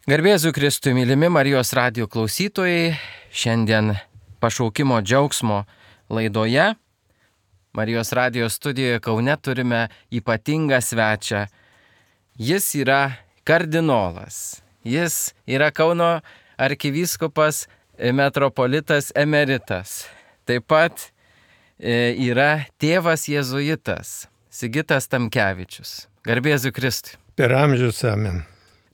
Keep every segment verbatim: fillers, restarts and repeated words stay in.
Garbėzu Kristui, mylimi Marijos radijo klausytojai, šiandien pašaukimo džiaugsmo laidoje Marijos radijo studijoje Kaune turime ypatingą svečią. Jis yra kardinolas, jis yra Kauno arkivyskupas metropolitas emeritas, taip pat yra tėvas jėzuitas Sigitas Tamkevičius. Garbėzu Kristui. Per amžius amen.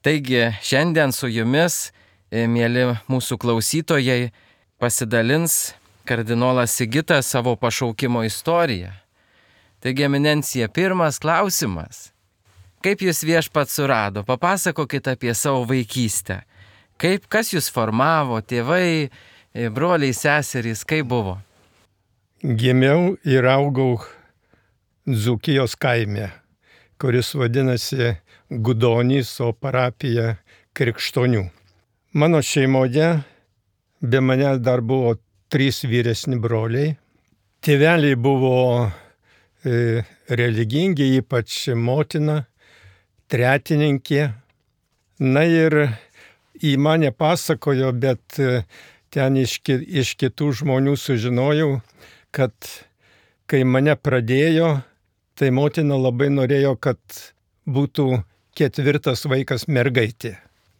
Taigi šiandien su jumis, mieli mūsų klausytojai, pasidalins kardinolas Sigitas savo pašaukimo istoriją. Taigi, eminencija, pirmas klausimas. Kaip jūs viešpats surado? Papasakokit apie savo vaikystę. Kaip, kas jūs formavo, tėvai, broliai, seserys, kaip buvo? Gimiau ir augau Dzūkijos kaime, kuris vadinasi Gudonys, o parapija Krikštonių. Mano šeimoje be manęs dar buvo trys vyresni broliai. Tėveliai buvo e, religingi, ypač motina, tretininkė. Na ir į mane pasakojo, bet ten iš, iš kitų žmonių sužinojau, kad kai mane pradėjo, tai motina labai norėjo, kad būtų ketvirtas vaikas mergaitė.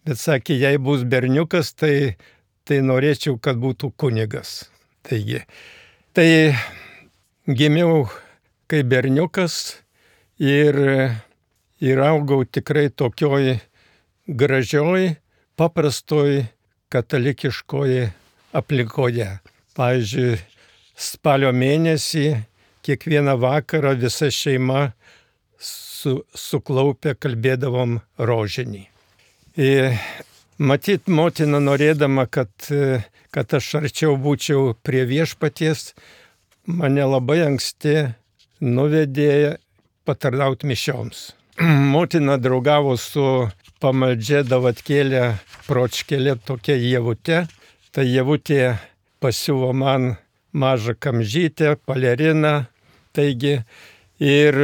Bet sakė, jei bus berniukas, tai, tai norėčiau, kad būtų kunigas. Taigi, tai gimiau kaip berniukas ir, ir augau tikrai tokioj gražioj, paprastoj katalikiškoje aplinkoje. Pavyzdžiui, spalio mėnesį kiekvieną vakarą visa šeima su, suklaupę kalbėdavom rožinį. Ir matyt, motina norėdama, kad, kad aš arčiau būčiau prie viešpaties, mane labai anksti nuvedė patarnauti mišioms. Motina draugavo su pamaldžia Davatkėlė Pročkelė, tokia Ievutė. Tai Ievutė pasiuvo man mažą kamžytę, paleriną. Taigi ir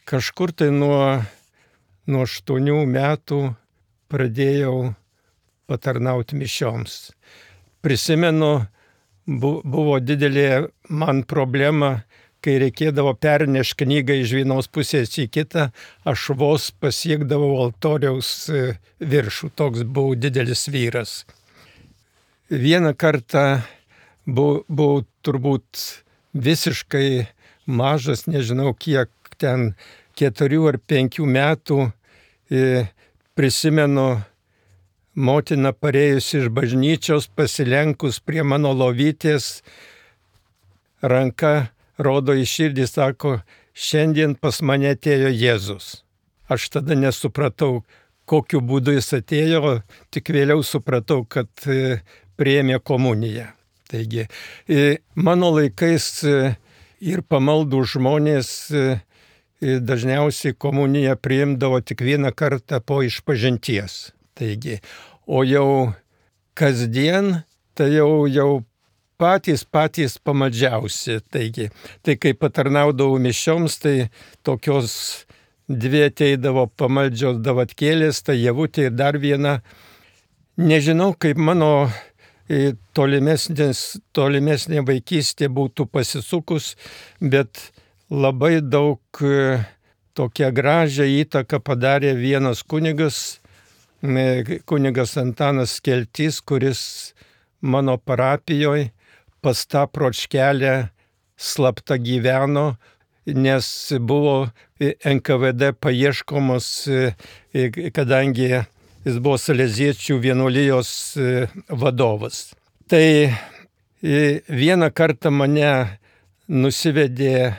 kažkur tai nuo, nuo aštuonių metų pradėjau patarnauti mišioms. Prisimenu, bu, buvo didelė man problema, kai reikėdavo pernešti knygą iš vienos pusės į kitą, aš vos pasiekdavau altoriaus viršų, toks buvau didelis vyras. Vieną kartą buvau, buvau turbūt visiškai mažas, nežinau kiek ten, keturių ar penkių metų, prisimenu, motina parėjusi iš bažnyčios, pasilenkus prie mano lovytės, ranka rodo į širdį, sako, šiandien pas mane atėjo Jėzus. Aš tada nesupratau, kokiu būdu jis atėjo, tik vėliau supratau, kad priėmė komuniją. Taigi, mano laikais ir pamaldų žmonės dažniausiai komuniją priimdavo tik vieną kartą po išpažinties. Taigi, o jau kasdien, tai jau, jau patys patys pamaldžiausi. Taigi, tai kai patarnaudavau mišioms, tai tokios dvi ateidavo pamaldžios Davatkėlės, tai Ievutė ir dar viena. Nežinau, kaip mano tolimesnė vaikystė būtų pasisukus, bet labai daug tokią gražią įtaką padarė vienas kunigas, kunigas Antanas Skeltys, kuris mano parapijoje pas tą Pročkelę slapta gyveno, nes buvo N K V D paieškomos, kadangi jis buvo saleziečių vienuolijos vadovas. Tai vieną kartą mane nusivedė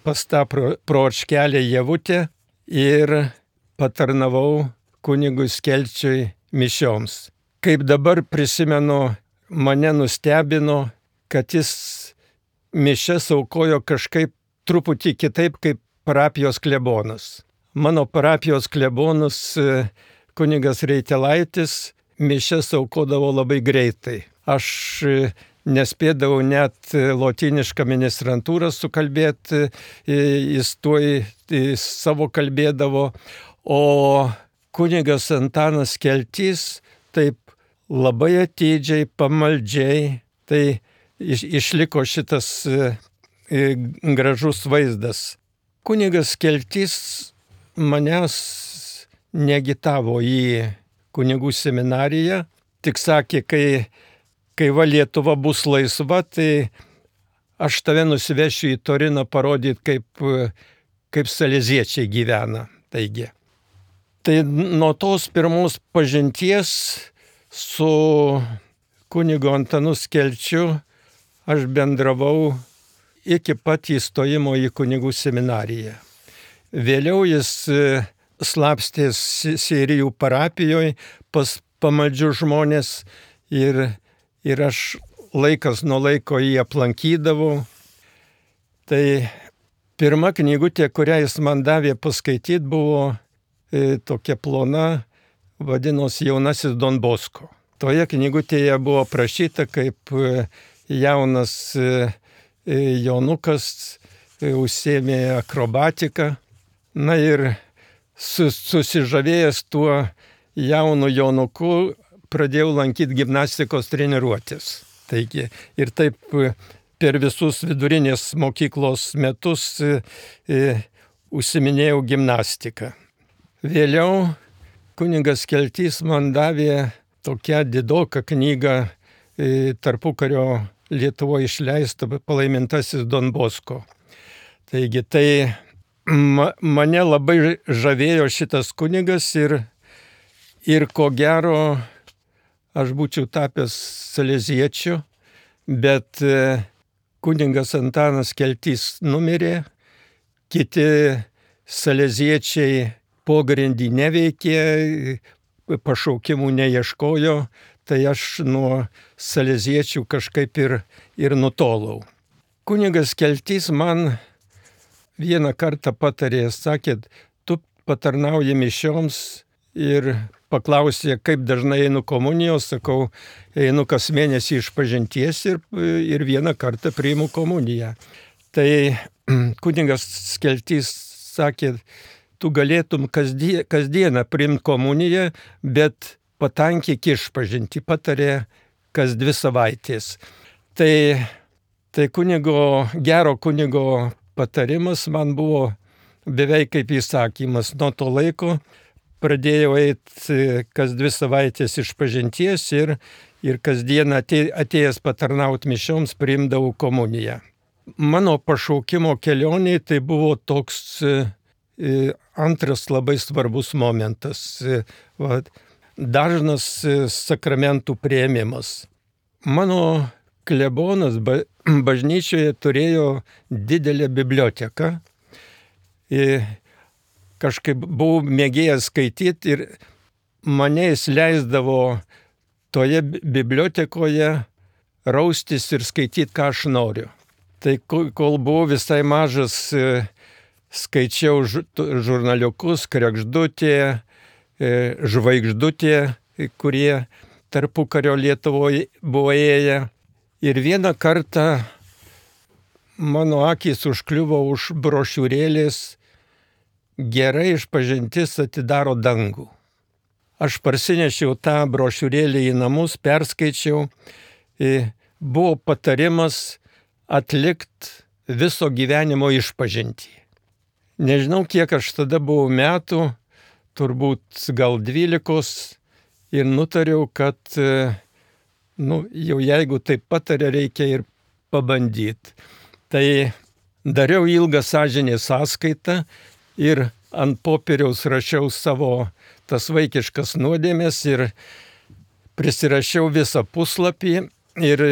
pas tą Pročkelę Ievutę ir patarnavau kunigui Skelčiui mišioms. Kaip dabar prisimenu, mane nustebino, kad jis mišias aukojo kažkaip truputį kitaip kaip parapijos klebonas. Mano parapijos klebonas kunigas Reitelaitis mišias aukodavo labai greitai. Aš nespėdavau net lotynišką ministrantūrą sukalbėti, jis tuoj savo kalbėdavo, o kunigas Antanas Keltys taip labai atidžiai, pamaldžiai, tai iš, išliko šitas e, gražus vaizdas. Kunigas Keltys manęs neagitavo į kunigų seminariją, tik sakė, kai, kai va Lietuva bus laisva, tai aš tave nusivešiu į Toriną parodyti, kaip, kaip saleziečiai gyvena. Taigi. Tai nuo tos pirmos pažinties su kunigu Antanu Kelčiu aš bendravau iki pat įstojimo į kunigų seminariją. Vėliau jis slapstės Seirijų parapijoje pas pamaldžius žmonės ir, ir aš laikas nuo laiko jį aplankydavau. Tai pirma knygutė, kurią jis man davė paskaityti, buvo e, tokia plona, vadinosi Jaunasis Don Bosko. Toje knygutėje buvo prašyta, kaip e, jaunas e, Jonukas e, užsiėmė akrobatiką. Na ir sus, susižavėjęs tuo jaunu Jonuku pradėjau lankyti gimnastikos treniruotės. Taigi, ir taip per visus vidurinės mokyklos metus e, e, užsiminėjau gimnastiką. Vėliau kunigas Keltys man davė tokią didoką knygą e, tarpukario Lietuvoje išleistą Palaimintasis Don Bosko. Taigi, tai ma, mane labai žavėjo šitas kunigas ir, ir ko gero aš būčiau tapęs saleziečiu, bet kunigas Antanas Keltys numirė, kiti saleziečiai pogrindį neveikė, pašaukimų neieškojo, tai aš nuo saleziečių kažkaip ir, ir nutolau. Kunigas Keltys man vieną kartą patarė, sakė, tu patarnauji mišioms ir paklausė, kaip dažnai einu komunijos, sakau, einu kas mėnesį iš pažinties ir, ir vieną kartą priimu komuniją. Tai kunigas Keltys sakė, tu galėtum kasdien, kasdieną priimti komuniją, bet patankyk išpažinti, patarė kas dvi savaitės. Tai, tai kunigo, gero kunigo patarimas man buvo beveik kaip įsakymas. Nuo to laiko pradėjau eiti kas dvi savaitės išpažinties ir, ir kasdien atėjęs patarnauti mišioms priimdavau komuniją. Mano pašaukimo kelionė tai buvo toks antras labai svarbus momentas. Va, dažnas sakramentų priėmimas. Mano klebonas bažnyčioje turėjo didelę biblioteką. Kažkaip buvau mėgėjęs skaityti ir mane jis leisdavo toje bibliotekoje raustis ir skaityti, ką aš noriu. Tai kol buvau visai mažas, skaičiau žurnaliukus, Kregždutė, Žvaigždutė, kurie tarpukario Lietuvoje buvo ėję. Ir vieną kartą mano akys užkliuvo už brošiūrėlės Gerai išpažintis atidaro dangų. Aš parsinešiau tą brošiūrėlį į namus, perskaičiau. Buvo patarimas atlikti viso gyvenimo išpažintį. Nežinau, kiek aš tada buvau metų, turbūt gal dvylikos, ir nutariau, kad nu, jau jeigu taip patarė, reikia ir pabandyti. Tai dariau ilgą sąžinės sąskaitą ir ant popieriaus rašiau savo tas vaikiškas nuodėmės ir prisirašiau visą puslapį ir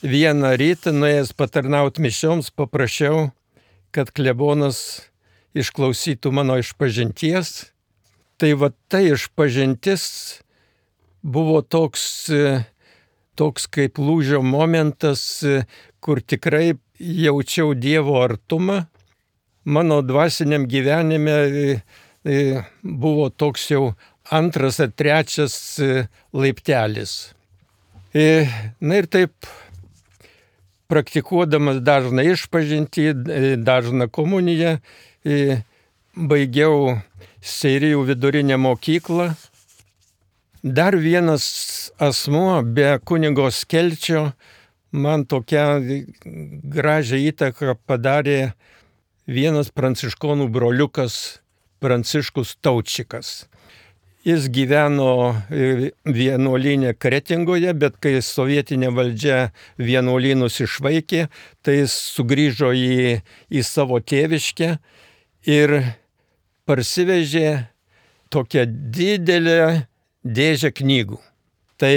vieną rytą nuėjęs patarnauti mišioms paprašiau, kad klebonas išklausytų mano išpažinties. Tai va ta išpažintis buvo toks, toks kaip lūžio momentas, kur tikrai jaučiau Dievo artumą. Mano dvasiniam gyvenime buvo toks jau antras ar trečias laiptelis. Na ir taip, praktikuodamas dažną išpažintį, dažną komuniją, baigiau Seirijų vidurinę mokyklą. Dar vienas asmuo be kunigo Skelčio man tokią gražią įtaką padarė vienas pranciškonų broliukas Pranciškus Taučikas. Jis gyveno vienuolyne Kretingoje, bet kai sovietinė valdžia vienuolynus išvaikė, tai jis sugrįžo į, į savo tėviškę ir parsivežė tokią didelę dėžę knygų. Tai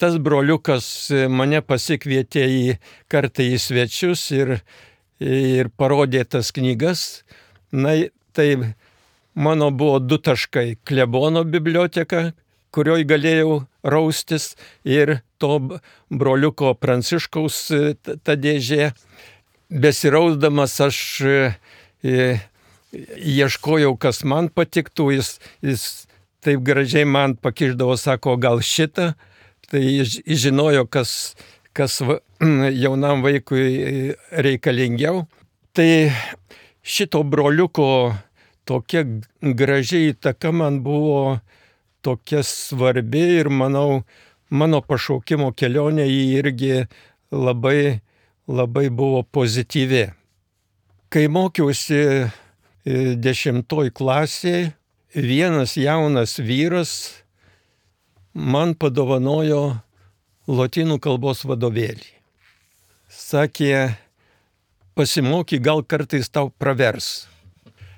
tas broliukas mane pasikvietė į kartą į svečius ir, ir parodė tas knygas. Na, tai mano buvo du taškai - klebono biblioteka, kurioj galėjau raustis, ir to broliuko Pranciškaus ta dėžė. Besirausdamas aš ieškojau, kas man patiktų, jis, jis taip gražiai man pakišdavo, sako, gal šitą. Tai jis žinojo, kas, kas jaunam vaikui reikalingiau. Tai šito broliuko tokia gražiai įtaka man buvo tokia svarbi ir manau, mano pašaukimo kelionė jį irgi labai, labai buvo pozityvi. Kai mokiausi dešimtoj klasėje, vienas jaunas vyras man padovanojo lotynų kalbos vadovėlį. Sakė, pasimoky, gal kartais tau pravers.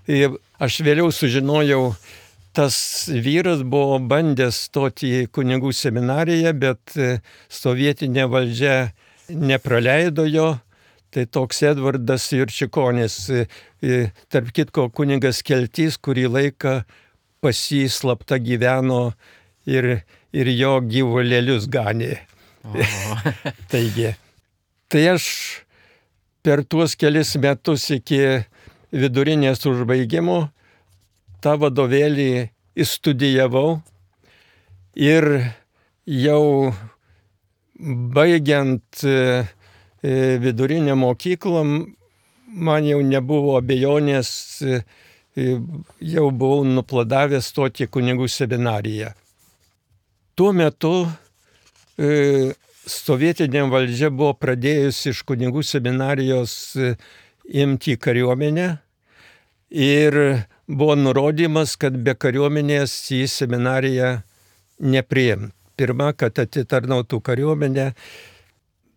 Ir aš vėliau sužinojau, tas vyras buvo bandęs stoti į kunigų seminariją, bet sovietinė valdžia nepraleido jo. Tai toks Edvardas Jurčikonis, tarp kitko kunigas Keltys, kurį laiką pas jį slapta gyveno ir, ir jo gyvulėlius ganė. Taigi, tai aš per tuos kelis metus iki vidurinės užbaigimo tą vadovėlį įstudijavau ir jau baigiant vidurinę mokyklą man jau nebuvo abejonės, jau buvau nuplanavęs stoti į kunigų seminariją. Tuo metu sovietinė valdžia buvo pradėjusi iš kunigų seminarijos imti kariuomenę ir buvo nurodymas, kad be kariuomenės į seminariją nepriimt. Pirma, kad atitarnautų kariuomenę.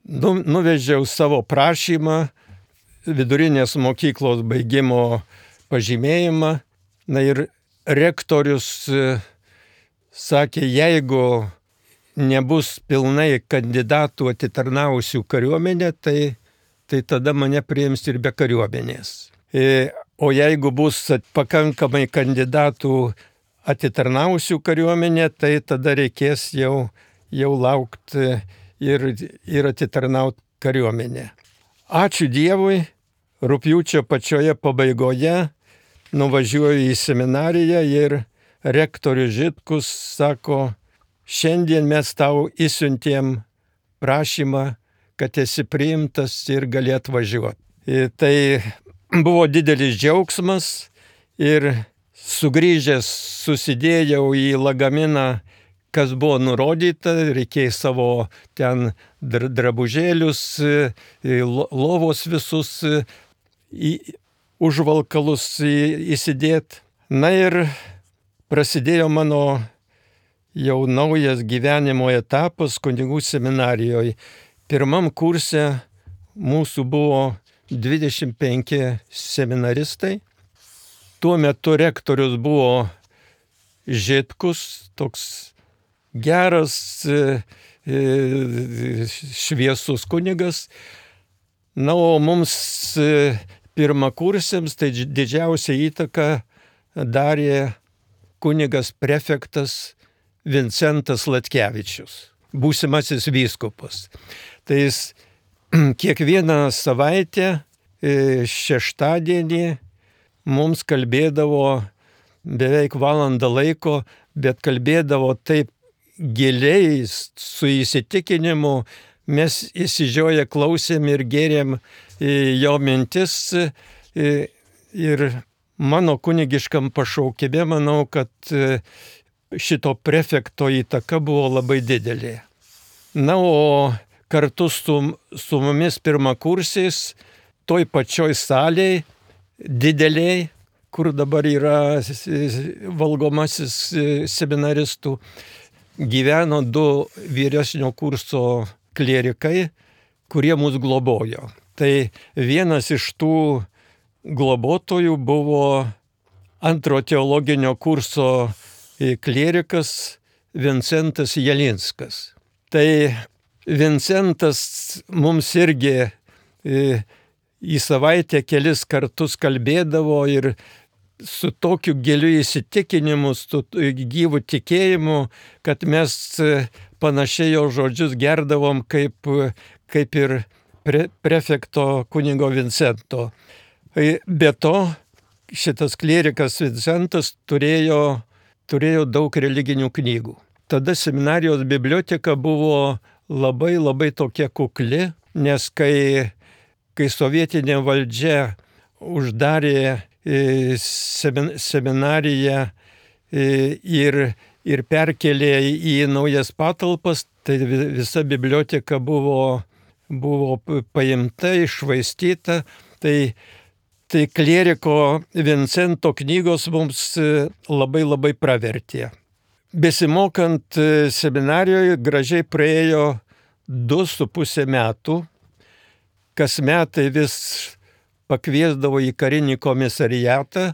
Nu, nuvežiau savo prašymą, vidurinės mokyklos baigimo pažymėjimą. Na ir rektorius sakė, jeigu nebus pilnai kandidatų atitarnavusių kariuomenę, tai, tai tada mane priims ir be kariuomenės. O jeigu bus pakankamai kandidatų atitarnavusių kariuomenę, tai tada reikės jau, jau laukti ir, ir atitarnauti kariuomenę. Ačiū Dievui, rugpjūčio pačioje pabaigoje nuvažiuoju į seminariją ir rektorius Žitkus sako, šiandien mes tau įsiuntėm prašymą, kad esi priimtas ir gali atvažiuoti. Tai buvo didelis džiaugsmas ir sugrįžęs susidėjau į lagaminą, kas buvo nurodyta, reikėjo savo ten drabužėlius, lovos visus užvalkalus įsidėti. Na ir prasidėjo mano jau naujas gyvenimo etapas kunigų seminarijoje. Pirmam kurse mūsų buvo dvidešimt penki seminaristai. Tuo metu rektorius buvo Žitkus, toks geras, šviesus kunigas. Na, o mums pirmakursiams tai didžiausia įtaka darė kunigas prefektas Vincentas Latkevičius, būsimasis vyskupas. Tai jis kiekvieną savaitę šeštadienį mums kalbėdavo beveik valandą laiko, bet kalbėdavo taip giliai, su įsitikinimu. Mes įsižioję klausėm ir gėrėm jo mintis ir mano kunigiškam pašaukime, manau, kad šito prefekto įtaka buvo labai didelė. Na, o kartu su, su mumis pirmakursiais, toj pačioj salėj, dideliai, kur dabar yra valgomasis seminaristų, gyveno du vyresnio kurso klierikai, kurie mus globojo. Tai vienas iš tų globotojų buvo antro teologinio kurso klierikas Vincentas Jelinskas. Tai Vincentas mums irgi į savaitę kelis kartus kalbėdavo ir su tokiu giliu įsitikinimu, su gyvu tikėjimu, kad mes panašiai jo žodžius gerdavom kaip, kaip ir pre, prefekto kunigo Vincento. Be to, šitas klierikas Vincentas turėjo, turėjo daug religinių knygų. Tada seminarijos biblioteka buvo labai labai tokia kukli, nes kai, kai sovietinė valdžia uždarė seminariją ir, ir perkelė į naujas patalpas, tai visa biblioteka buvo, buvo paimta, iššvaistyta. Tai, tai klieriko Vincento knygos mums labai labai pravertė. Besimokant seminarijoje gražiai praėjo du su pusė metų, kas metai vis pakviesdavo į karinį komisariatą,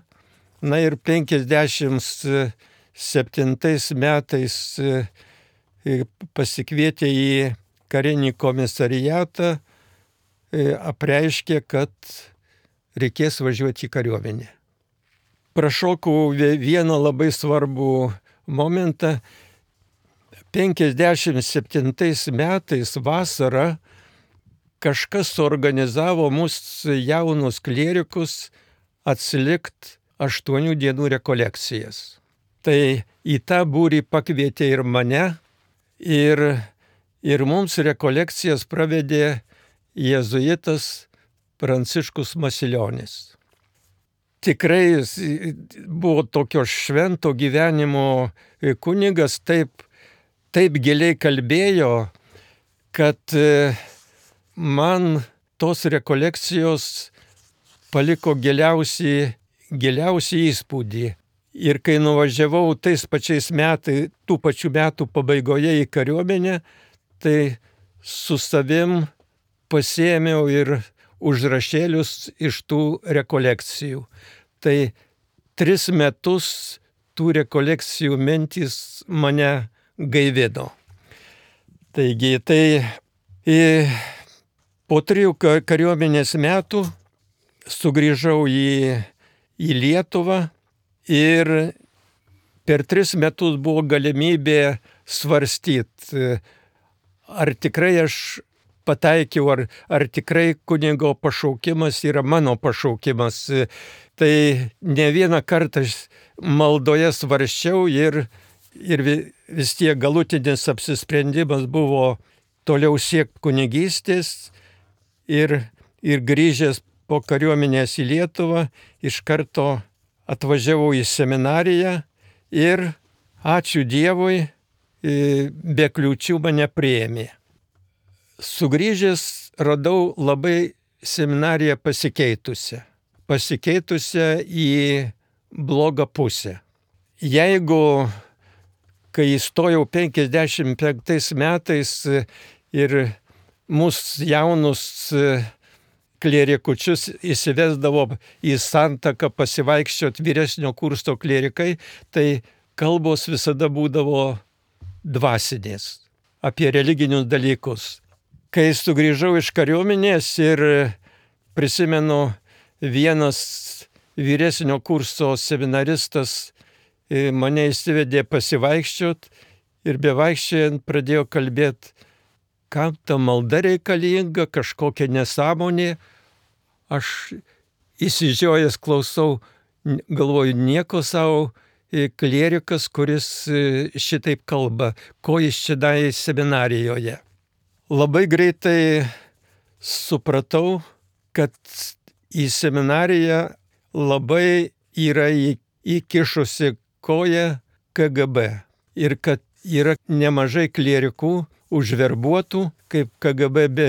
na ir penkiasdešimt septintais metais pasikvietė į karinį komisariatą, apreiškė, kad reikės važiuoti į kariuomenę. Prašokau vieną labai svarbų momentą. penkiasdešimt septintais metais vasarą kažkas suorganizavo mūsų jaunus klierikus atsilikt aštuonių dienų rekolekcijas. Tai į tą būrį pakvietė ir mane, ir, ir mums rekolekcijas pravedė jėzuitas Pranciškus Masilionis. Tikrai buvo tokio švento gyvenimo kunigas, taip, taip giliai kalbėjo, kad man tos rekolekcijos paliko giliausiai, giliausiai įspūdį. Ir kai nuvažiavau tais pačiais metais, tų pačių metų pabaigoje į kariuomenę, tai su savim pasiėmiau ir užrašėlius iš tų rekolekcijų. Tai tris metus tų rekolekcijų mintys mane gaivino. Taigi, tai į po trijų kariuomenės metų sugrįžau į, į Lietuvą ir per tris metus buvo galimybė svarstyti, ar tikrai aš pataikiau, ar, ar tikrai kunigo pašaukimas yra mano pašaukimas. Tai ne vieną kartą maldoje svarsčiau ir, ir vis tiek galutinis apsisprendimas buvo toliau siekti kunigystės. Ir, ir grįžęs po kariuomenės į Lietuvą, iš karto atvažiavau į seminariją ir, ačiū Dievui, be kliūčių mane priėmė. Sugrįžęs radau labai seminariją pasikeitusią. Pasikeitusią į blogą pusę. Jeigu, kai įstojau penkiasdešimt penktais metais ir mūsų jaunus klierikučius įsivesdavo į santaką pasivaikščioti vyresnio kurso klierikai, tai kalbos visada būdavo dvasinės, apie religinius dalykus. Kai sugrįžau iš kariuomenės ir prisimenu, vienas vyresnio kurso seminaristas mane įsivedė pasivaikščioti ir bevaikščiojant pradėjo kalbėti, kam ta malda reikalinga, kažkokia nesąmonė. Aš įsižiojęs klausau, galvoju, nieko savo, klierikas, kuris šitaip kalba, ko jis čia darė seminarijoje. Labai greitai supratau, kad į seminariją labai yra į, įkišusi koją K G B ir kad yra nemažai klierikų užverbuotų kaip K G B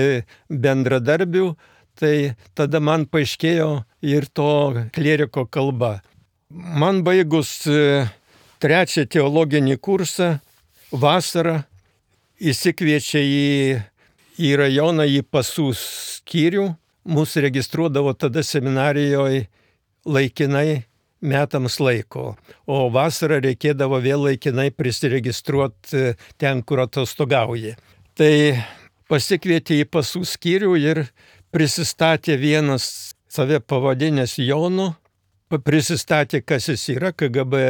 bendradarbių, tai tada man paaiškėjo ir to klieriko kalba. Man baigus trečią teologinį kursą, vasarą įsikviečia į, į rajoną, į pasų skyrių. Mūsų registruodavo tada seminarijoje laikinai metams laiko, o vasarą reikėdavo vėl laikinai prisiregistruoti ten, kur atostogauji. Tai pasikvietė į pasų skyrių ir prisistatė vienas save pavadinęs Jonu, prisistatė, kas jis yra, K G B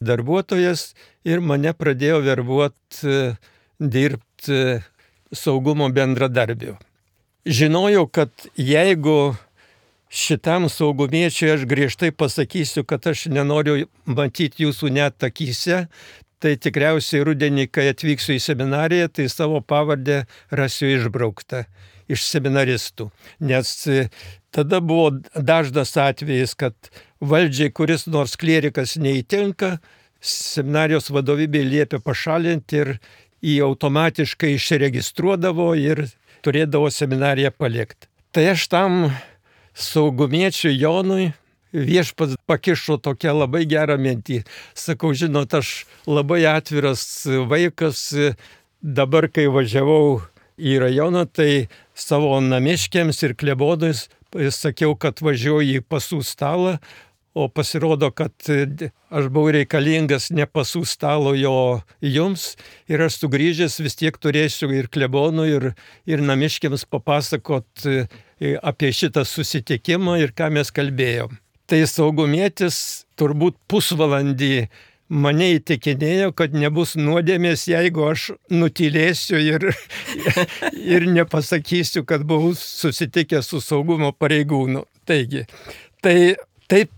darbuotojas, ir mane pradėjo verbuoti dirbti saugumo bendradarbiu. Žinojau, kad jeigu šitam saugumiečiui aš griežtai pasakysiu, kad aš nenoriu matyti jūsų net akyse, tai tikriausiai rudenį, kai atvyksiu į seminariją, tai savo pavardę rasiu išbrauktą iš seminaristų. Nes tada buvo dažnas atvejis, kad valdžiai kuris nors klierikas neįtinka, seminarijos vadovybė liepė pašalinti ir jį automatiškai išregistruodavo ir turėdavo seminariją palikti. Tai aš tam saugumiečiui Jonui viešpats pakišo tokią labai gerą mintį. Sakau, žinot, aš labai atviras vaikas, dabar kai važiavau į rajoną, tai savo namiškiams ir klebonais sakiau, kad važiuoju į pasų stalą, o pasirodo, kad aš buvau reikalingas ne pasų stalo jo jums, ir aš sugrįžęs vis tiek turėsiu ir klebonų, ir, ir namiškiams papasakot apie šitą susitikimą ir ką mes kalbėjom. Tai saugumietis turbūt pusvalandį mane įtikinėjo, kad nebus nuodėmės, jeigu aš nutylėsiu ir, ir nepasakysiu, kad buvau susitikęs su saugumo pareigūnu. Taigi, tai taip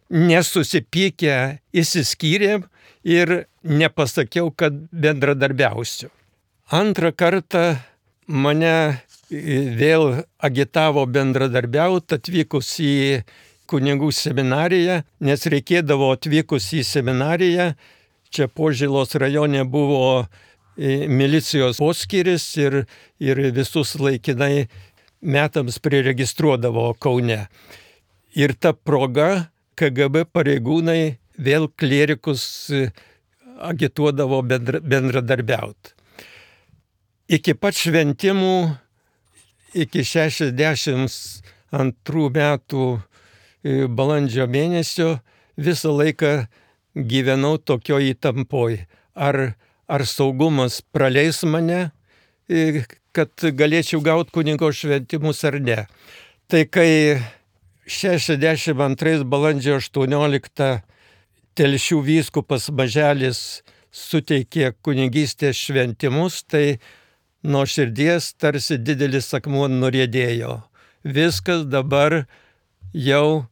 nesusipykę išsiskyrėm ir nepasakiau, kad bendradarbiausiu. Antrą kartą mane vėl agitavo bendradarbiauti atvykus į kunigų seminariją, nes reikėdavo atvykus į seminariją, čia Požėlos rajone buvo milicijos poskyris ir, ir visus laikinai metams priregistruodavo Kaune. Ir ta proga K G B pareigūnai vėl klierikus agituodavo bendra, bendradarbiauti. Iki pat šventimų, iki šešiasdešimt antrų metų balandžio mėnesio visą laiką gyvenau tokioj įtampoj. Ar, ar saugumas praleis mane, kad galėčiau gauti kunigo šventimus ar ne. Tai kai šešiasdešimt antrais balandžio aštuonioliktą Telšių vyskupas Maželis suteikė kunigystės šventimus, tai nuo širdies tarsi didelis akmuo nuriedėjo. Viskas, dabar jau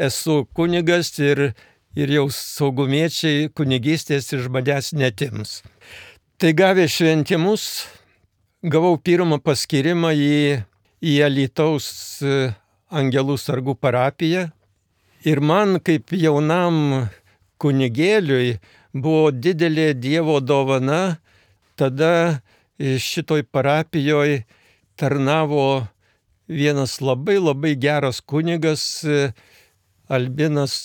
esu kunigas ir, ir jau saugumiečiai kunigystės iš manęs netims. Tai gavę šventimus, gavau pirmą paskyrimą į, į Alytaus Angelų sargų parapiją. Ir man kaip jaunam kunigėliui buvo didelė Dievo dovana. Tada šitoj parapijoje tarnavo vienas labai labai geras kunigas, Albinas.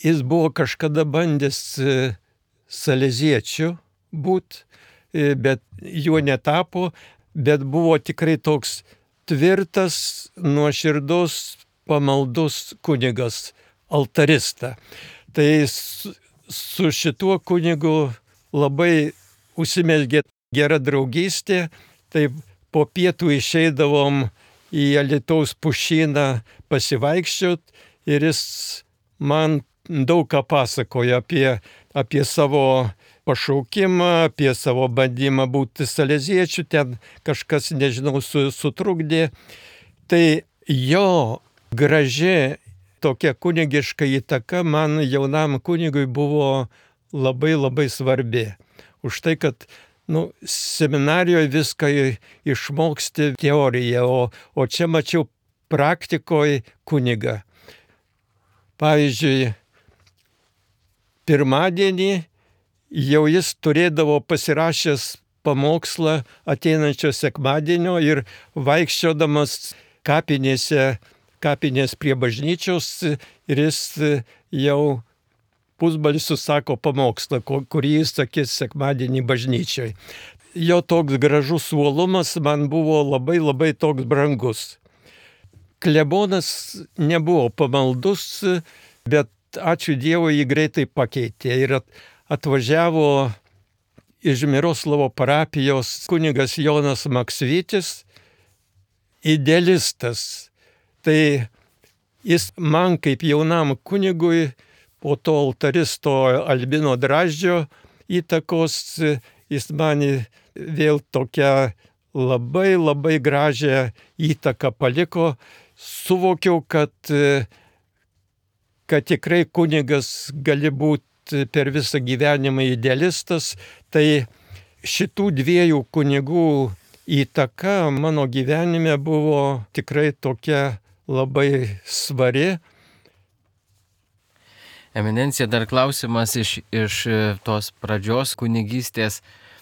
Jis buvo kažkada bandęs saleziečiu būt, bet juo netapo, bet buvo tikrai toks tvirtas, nuoširdus, pamaldus kunigas, altarista. Tai su, su šituo kunigu labai užsimezgė gera draugystė, tai po pietų išeidavom į Alytaus pušyną pasivaikščiot ir jis man daug ką pasakojo apie, apie savo pašaukimą, apie savo bandymą būti saleziečiu, ten kažkas, nežinau, su, sutrukdė. Tai jo graži tokia kunigiška įtaka man jaunam kunigui buvo labai labai svarbi. Už tai, kad nu, seminarijoje viską išmoksti teoriją, o, o čia mačiau praktikoje kunigą. Pavyzdžiui, pirmadienį jau jis turėdavo pasirašęs pamokslą ateinančio sekmadienio ir vaikščiodamas kapinėse, kapinės prie bažnyčios ir jis jau pusbalsiu sako pamokslą, kurį jis sakys sekmadienį bažnyčioj. Jo toks gražus uolumas man buvo labai labai toks brangus. Klebonas nebuvo pamaldus, bet ačiū Dievui jį greitai pakeitė ir atvažiavo iš Miroslavo parapijos kunigas Jonas Maksvytis, idealistas. Tai jis man kaip jaunam kunigui po to altaristo Albino Draždžio įtakos, jis man vėl tokią labai labai gražią įtaką paliko. Suvokiau, kad, kad tikrai kunigas gali būti per visą gyvenimą idealistas. Tai šitų dviejų kunigų įtaka mano gyvenime buvo tikrai tokia labai svari. Eminencija, dar klausimas iš, iš tos pradžios kunigystės,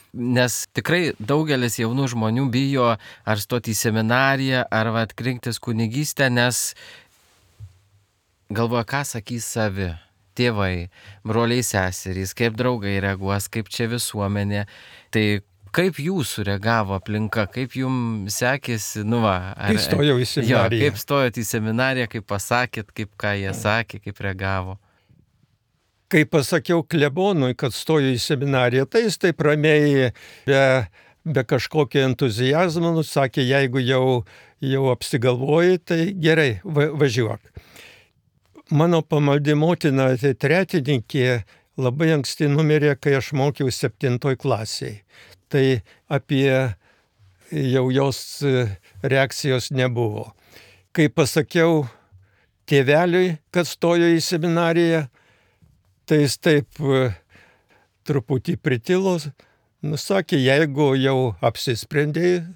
nes tikrai daugelis jaunų žmonių bijo ar stoti į seminariją, ar vat rinktis kunigystę, nes galvoja, ką sakys savi, tėvai, broliai, seserys, kaip draugai reaguos, kaip čia visuomenė. Tai kaip jūsų reagavo aplinka, kaip jums sekėsi, nu va. Ar, kai stojau į seminariją. Jo, kaip stojot į seminariją, kaip pasakėt, kaip ką jie sakė, kaip reagavo. Kai pasakiau klebonui, kad stoju į seminariją, tai jis taip ramiai, be, be kažkokio entuzijazmo, nusakė, jeigu jau, jau apsigalvoji, tai gerai, va, važiuok. Mano pamaldi motina, tai tretininkė, labai anksti numirė, kai aš mokiau septintoj klasėje. Tai apie jau jos reakcijos nebuvo. Kai pasakiau tėveliui, kad stoju į seminariją, tai jis taip truputį pritilo, nusakė, jeigu jau apsisprendėjai,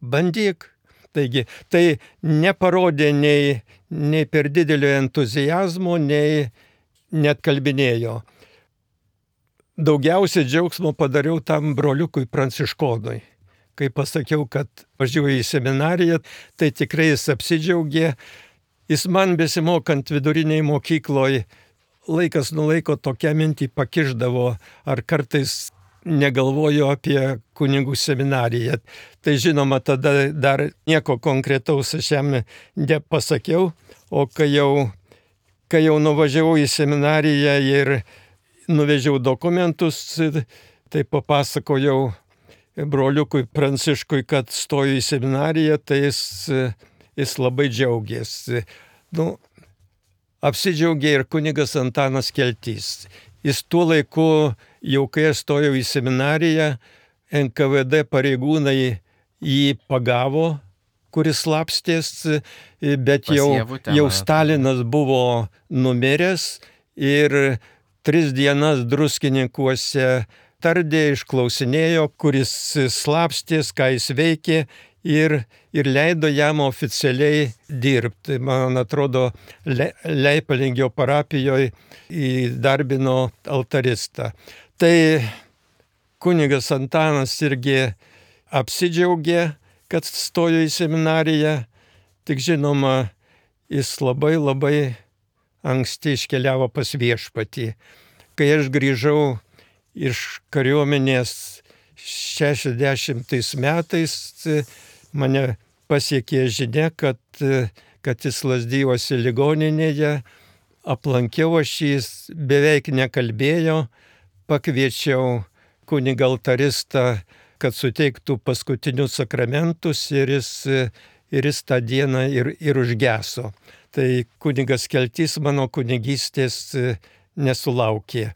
bandyk. Taigi, tai neparodė nei, nei per didelio entuzijazmo, nei net kalbinėjo. Daugiausiai džiaugsmo padariau tam broliukui Pranciškonui. Kai pasakiau, kad važiuoju į seminariją, tai tikrai jis apsidžiaugė. Jis man besimokant viduriniai mokykloje laikas nuo laiko tokią mintį pakišdavo, ar kartais negalvoju apie kunigų seminariją. Tai žinoma, tada dar nieko konkretaus aš jam nepasakiau, o kai jau, kai jau nuvažiavau į seminariją ir nuvežiau dokumentus, tai papasakojau broliukui Pranciškui, kad stoju į seminariją, tai jis, jis labai džiaugėsi. Nu, apsidžiaugė ir kunigas Antanas Keltys. Jis tuo laiku, jau kai aš stojau į seminariją, N K V D pareigūnai jį pagavo, kuris slapstės, bet jau, jau Stalinas buvo numiręs ir tris dienas Druskininkuose tardė, išklausinėjo, kuris slapstės, ką jis veikė. Ir, ir leido jam oficialiai dirbti. Man atrodo, Le, Leipalingio parapijoje įdarbino altaristą. Tai kunigas Antanas irgi apsidžiaugė, kad stojo į seminariją. Tik žinoma, jis labai labai anksti iškeliavo pas viešpatį. Kai aš grįžau iš kariuomenės šešiasdešimtais metais, mane pasiekė žinia, kad, kad jis Lazdijuose ligoninėje, aplankiau aš jis, beveik nekalbėjo, pakviečiau kunigą altaristą, kad suteiktų paskutinius sakramentus ir jis, ir jis tą dieną ir, ir užgeso. Tai kunigas Keltys mano kunigystės nesulaukė.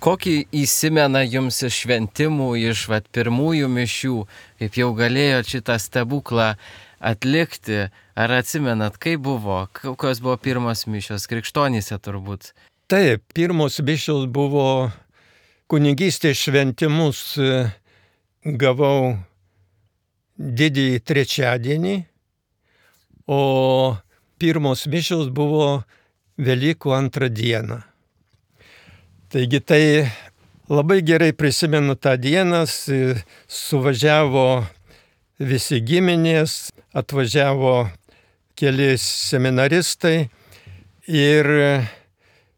Kokį įsimena jums iš šventimų, iš vat, pirmųjų mišių, kaip jau galėjo šitą stebuklą atlikti? Ar atsimenat, kaip buvo? Kokios buvo pirmos mišios? Krikštonyse turbūt. Taip, pirmos mišios buvo kunigystės šventimus gavau didįjį trečiadienį, o pirmos mišios buvo Velykų antrą dieną. Taigi tai labai gerai prisimenu tą dieną, suvažiavo visi giminės, atvažiavo keli seminaristai ir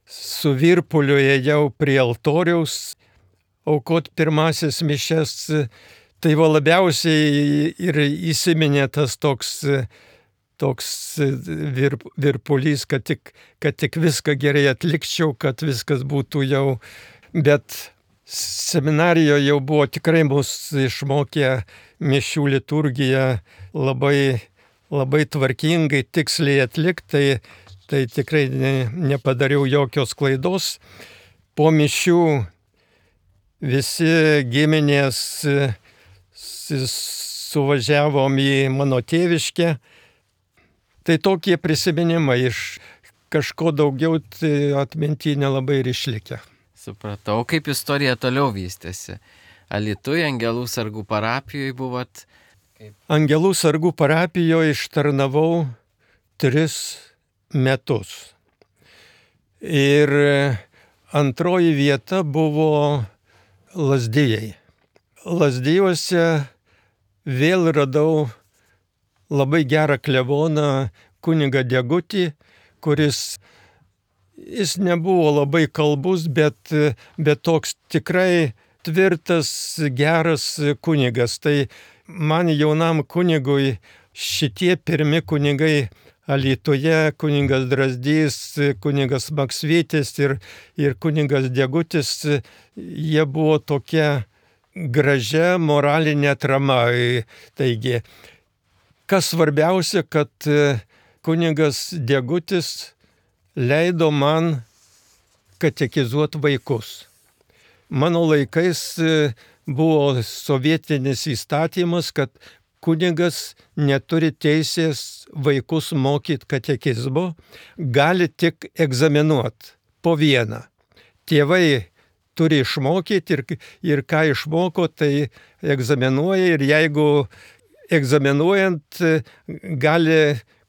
su virpuliu ėjau prie altoriaus aukot pirmasis mišias. Tai va labiausiai ir įsiminė tas toks, toks virp, virpulys, kad tik, kad tik viską gerai atlikčiau, kad viskas būtų jau. Bet seminarijoje jau buvo tikrai mus išmokę mišių liturgiją labai, labai tvarkingai, tiksliai atlikti, tai, tai tikrai ne, nepadariau jokios klaidos. Po mišių visi giminės suvažiavom į mano tėviškę. Tai tokie prisiminimai, iš kažko daugiau tai atminty nelabai ir išlikę. Supratau, kaip istorija toliau vystėsi. Alytuje, Angelų sargų parapijoje buvot? Kaip... Angelų sargų parapijoje ištarnavau tris metus. Ir antroji vieta buvo Lazdijai. Lazdijuose vėl radau labai gerą kleboną kunigą Degutį, kuris jis nebuvo labai kalbus, bet, bet toks tikrai tvirtas, geras kunigas. Tai man jaunam kunigui šitie pirmi kunigai Alytuje, kunigas Drazdys, kunigas Maksvytis ir, ir kunigas Degutis, jie buvo tokia gražia moralinė atrama. Taigi, kas svarbiausia, kad kunigas Degutis leido man katekizuoti vaikus. Mano laikais buvo sovietinis įstatymas, kad kunigas neturi teisės vaikus mokyti katekizmo, gali tik egzaminuoti po vieną. Tėvai turi išmokyti ir, ir ką išmoko, tai egzaminuoja ir jeigu egzaminuojant gali,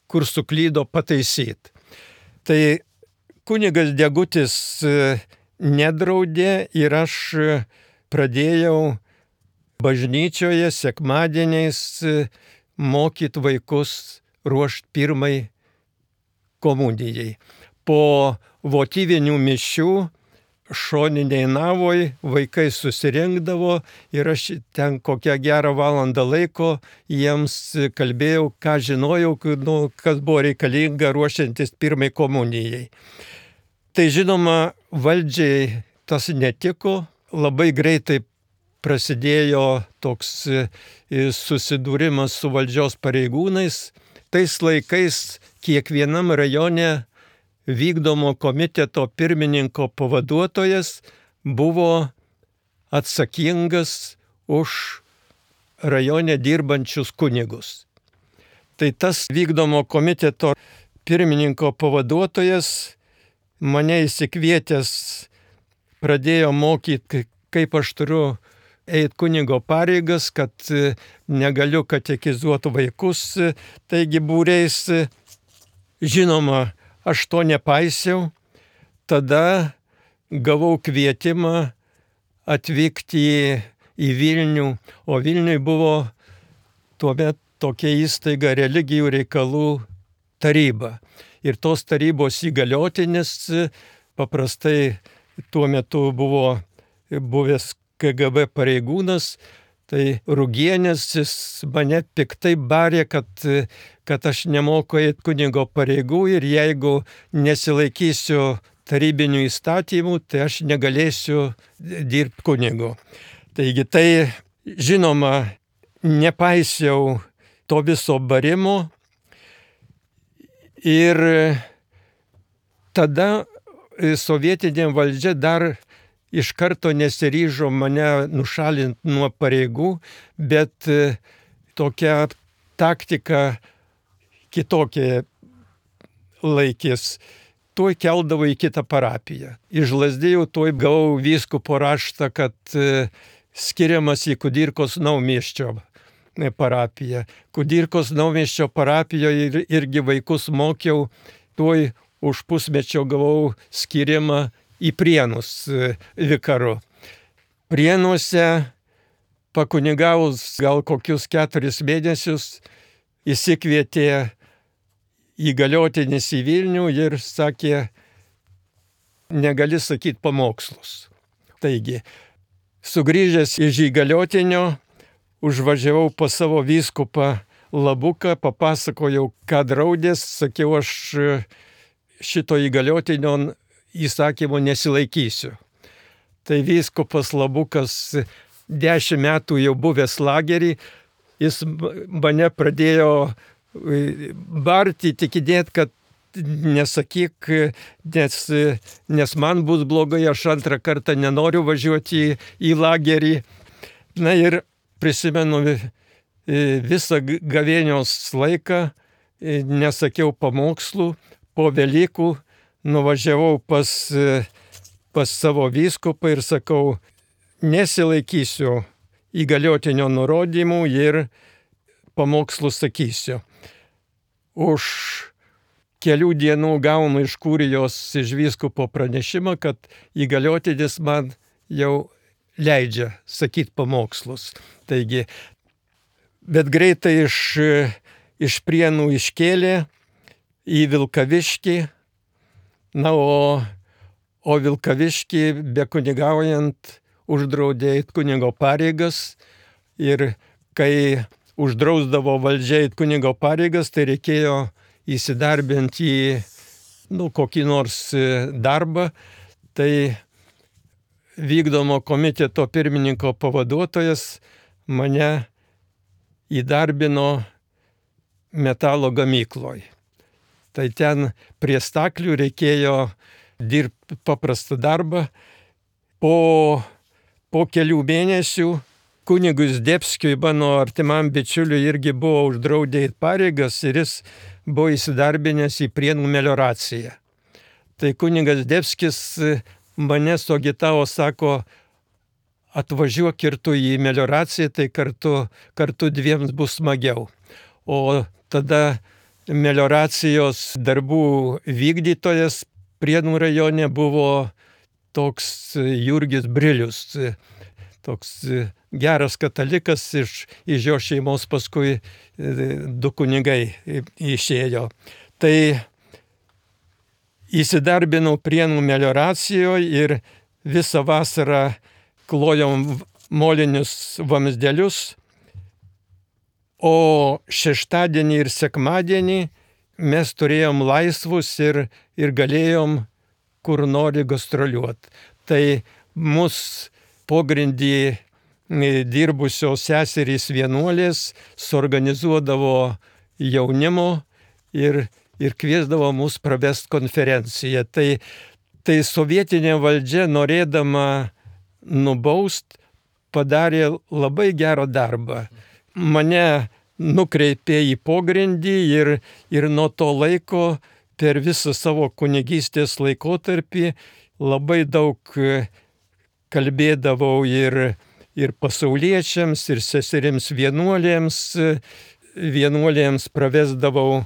kur suklydo, pataisyti. Tai kunigas Degutis nedraudė ir aš pradėjau bažnyčioje sekmadieniais mokyti vaikus ruošti pirmai komunijai. Po votyvinių mišių šoniniai navoj vaikai susirinkdavo ir aš ten kokią gerą valandą laiko jiems kalbėjau, ką žinojau, nu, kas buvo reikalinga ruošiantis pirmai komunijai. Tai žinoma, valdžiai tas netiko, labai greitai prasidėjo toks susidūrimas su valdžios pareigūnais. Tais laikais kiekvienam rajone vykdomo komiteto pirmininko pavaduotojas buvo atsakingas už rajone dirbančius kunigus. Tai tas vykdomo komiteto pirmininko pavaduotojas mane įsikvietęs pradėjo mokyti, kaip aš turiu eiti kunigo pareigas, kad negaliu katekizuoti vaikus, taigi būriais. Žinoma, aš to nepaisiau. Tada gavau kvietimą atvykti į, į Vilnių, o Vilniui buvo tuomet tokia įstaiga religijų reikalų taryba. Ir tos tarybos įgaliotinis paprastai tuo metu buvo buvęs K G B pareigūnas, tai Rugienis, jis mane piktai barė, kad, kad aš nemoku eiti kunigo pareigų ir jeigu nesilaikysiu tarybinių įstatymų, tai aš negalėsiu dirbti kunigu. Taigi tai, žinoma, nepaisiau to viso barimo ir tada sovietinė valdžia dar iš karto nesiryžo mane nušalinti nuo pareigų, bet tokia taktika kitokia laikės. Tuoj keldavo į kitą parapiją. Iš Lazdijų tuoj gavau vyskupo raštą, kad skiriamas į Kudirkos naumiesčio parapiją. Kudirkos Naumiesčio parapijoje ir, irgi vaikus mokiau, tuoj už pusmečio gavau skirimą į Prienus vikaru. Prienuose pakunigavus gal kokius keturis mėnesius įsikvietė įgaliotinis į Vilnių ir sakė, negali sakyti pamokslus. Taigi, sugrįžęs iš įgaliotinio, užvažiavau pas savo vyskupą Labuką, papasakojau, ką draudės, sakiau, aš šito įgaliotinio įsakymo nesilaikysiu. Tai vyskupas Labukas dešimt metų jau buvęs lagerį, jis mane pradėjo barti, tikinėt, kad nesakyk, nes, nes man bus blogai, aš antrą kartą nenoriu važiuoti į, į lagerį. Na ir prisimenu visą gavėnios laiką, nesakiau pamokslų, po Velykų nuvažiavau pas, pas savo vyskupą ir sakau, nesilaikysiu įgaliotinio nurodymų ir pamokslų sakysiu. Už kelių dienų gaunu iš kurijos iš vyskupo pranešimą, kad įgaliotinis man jau leidžia sakyti pamokslus. Taigi, bet greitai iš, iš Prienų iškėlė į Vilkaviškį, na, o, o Vilkaviškį bekunigaujant uždraudė eit kunigo pareigas ir kai uždrausdavo valdžia eit kunigo pareigas, tai reikėjo įsidarbinti į nu, kokį nors darbą. Tai vykdomo komiteto pirmininko pavaduotojas mane įdarbino metalo gamykloj. Tai ten prie staklių reikėjo dirbti paprastą darbą. Po, po kelių mėnesių kunigui Zdebskiui, mano artimam bičiuliui, irgi buvo uždraudę eit pareigas ir jis buvo įsidarbinęs į Prienų melioraciją. Tai kunigas Zdebskis mane suagitavo, sako, atvažiuok ir tu į melioraciją, tai kartu, kartu dviems bus smagiau. O tada melioracijos darbų vykdytojas Prienų rajone buvo toks Jurgis Brilius, toks geras katalikas, iš, iš jo šeimos paskui du kunigai išėjo. Tai įsidarbinau Prienų melioracijoje ir visą vasarą klojom molinius vamzdelius, o šeštadienį ir sekmadienį mes turėjom laisvus ir, ir galėjom kur nori gastroliuoti. Tai mus pogrindį dirbusios seserys vienuolės suorganizuodavo jaunimo ir, ir kviesdavo mus pravest konferenciją. Tai, tai sovietinė valdžia, norėdama nubaust, padarė labai gerą darbą. Mane nukreipė į pogrindį ir, ir nuo to laiko per visą savo kunigystės laikotarpį labai daug kalbėdavau ir, ir pasauliečiams, ir seserims vienuolėms, vienuolėms pravesdavau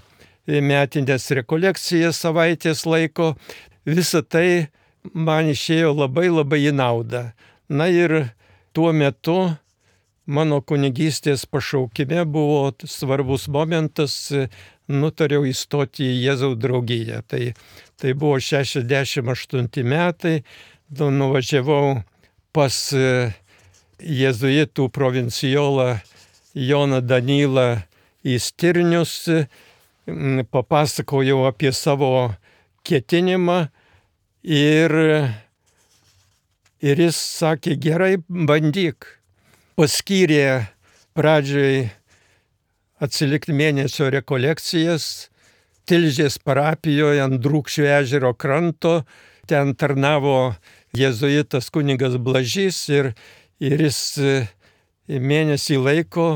metinės rekolekcijas savaitės laiko. Visa tai man išėjo labai labai į naudą. Na ir tuo metu mano kunigystės pašaukime buvo svarbus momentas, nutariau įstoti į Jėzaus draugiją. Tai, tai buvo šešiasdešimt aštunti metai, nuvažiavau pas jėzuitų provincijolą Joną Danylą į Stirnius, papasakojau apie savo ketinimą ir, ir jis sakė, gerai, bandyk. Paskyrė pradžioj atsilikti mėnesio rekolekcijas Tilžės parapijoje ant Drūkšių ežero kranto. Ten tarnavo jėzuitas kunigas Blažys ir, ir jis mėnesį laiko